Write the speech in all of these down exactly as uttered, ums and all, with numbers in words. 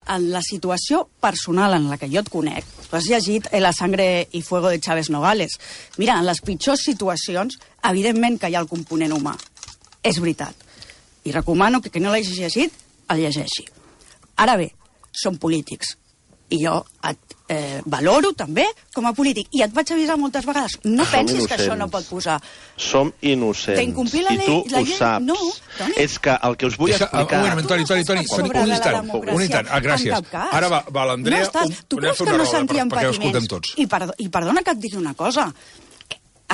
en la situació personal en la que jo et conec, tu has llegit La sangre y fuego de Chávez Nogales. Mira, en les pitjors situacions, evidentment que hi ha el component humà. És veritat. I recomano que qui no l'hagi llegit, el llegeixi. Ara bé, són polítics. I jo et eh, valoro també com a polític. I et vaig avisar moltes vegades. No Som pensis innocents. que això no pot posar. Som innocents. D'incomplir la I llei- tu la ho llei- saps. no, Toni. És que el que us vull Deixa, explicar... un moment, Toni, Toni, Toni, Sobre un la instant, democràcia, un instant, ah, gràcies. en cap cas. Ara va, va l'Andrea, No estàs, un, tu anem a creus fer que una no roda sentíem per, perquè ho escoltem patiments? tots. I, perdó, I perdona que et digui una cosa.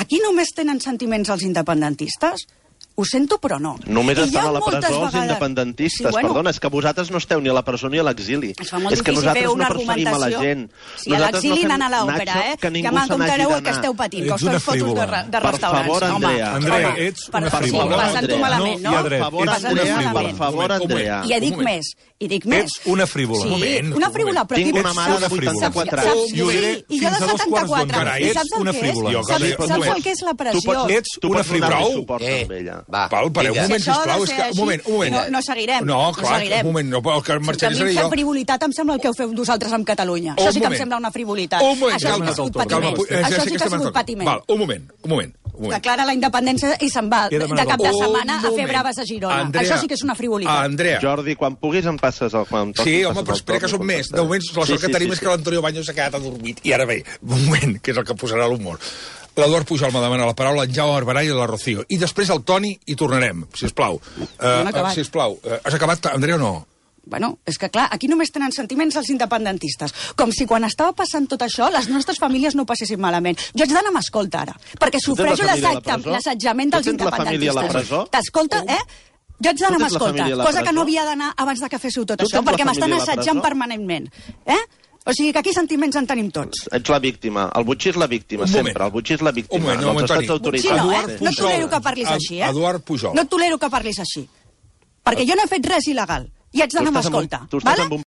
Aquí només tenen sentiments els independentistes? Ho sento, però no. Només I hi estan ha a la moltes presó els vegades- independentistes. Sí, bueno, Perdona, és que vosaltres no esteu ni a la presó ni a l'exili. Es fa molt És que difícil fer nosaltres una no perseguim a la argumentació. gent. Si a Nosaltres l'exili no fem, anant a l'òpera, Nacho, eh? que Que ningú me'n se n'hagi comptareu el que d'anar. esteu patint, que Ets us una feu fotos de, frívola. de Per restaurants. favor, Home, Andrea. Andrea, home, ets per una favor, frívola. Sí, passant-ho Andrea. malament, no? No hi ha dret. Per favor, Ets Passant-ho Andrea, frívola. malament. per favor, Un moment, un Andrea. moment. I et dic Un moment. més, i dic més. Ets una frívola. Sí, Un moment, una un frívola, moment. però Tinc qui- una mare de saps- vuitanta-quatre saps- anys. saps- I ho diré sí, i fins jo a de dos quarts setanta-quatre. d'onze. Carai, I ets saps el una que és? frívola. Jo, Saps, Gabriel, saps un moment. el que és la Tu pressió? pots, Ets tu una pots donar-li frívola. suport Eh, amb ella. va, Val, pareu un vinga. moment, Si això ha de sisplau. És ser que, un així, moment, un moment. no- no seguirem, No, no clar, seguirem. un moment, no, el que A marxaré mi seré em fa jo. frivolitat, em sembla el que heu fet vosaltres amb Catalunya. Un Això sí que em moment. sembla una frivolitat. Un moment, Això sí que ha calma, sigut calma, patiment. pu- eh, ja Això sé sí que ha estem sigut d'acord. patiment. Val, un moment, un moment. Un moment. Declara la independència i se'n va He de demanat cap de el- setmana Un a fer moment. braves a Girona. Andrea, Això sí que és una frivolitat. Andrea. Jordi, quan puguis em passes el... Quan toqui, Sí, em home, passes però el espera que torn, són més. De contestaré. moment, la sort que tenim és que l'Antonio Baños s'ha quedat adormit. I ara bé, un moment, que és el que posarà l'humor. L'Eduard Pujol m'ha demanat la paraula, en Jaume Barberà i la Rocío. I després el Toni i tornarem, sisplau. No he Uh, acabat. sisplau. Uh, has acabat, Andrea, o no? Bueno, és que clar, aquí només tenen sentiments els independentistes. Com si quan estava passant tot això, les nostres famílies no ho passessin malament. Jo haig d'anar amb escolta ara, perquè Tu tens la sofreixo família a la l'assetjament presó? l'assetjament dels Tu tens la família a la independentistes. presó? T'escolta, eh? Jo haig d'anar Tu amb tens la escolta, família a la cosa que presó? no havia d'anar abans de que féssiu tot Tu això, tens la perquè m'estan família a la assetjant presó? permanentment. Eh? O sigui que aquí sentiments en tenim tots. Ets la víctima. El Butxí és la víctima, Un sempre. moment. El Butxí és la víctima. Un moment, un moment, dels estats Toni. autoritats. Sí, no, Eduard eh? No et Pujol. tolero que parlis Ed- així, eh? Eduard Pujol. No et tolero que parlis així. Perquè jo no he fet res il·legal. I haig d'anar amb estàs amb un- escolta. tu estàs vale? amb un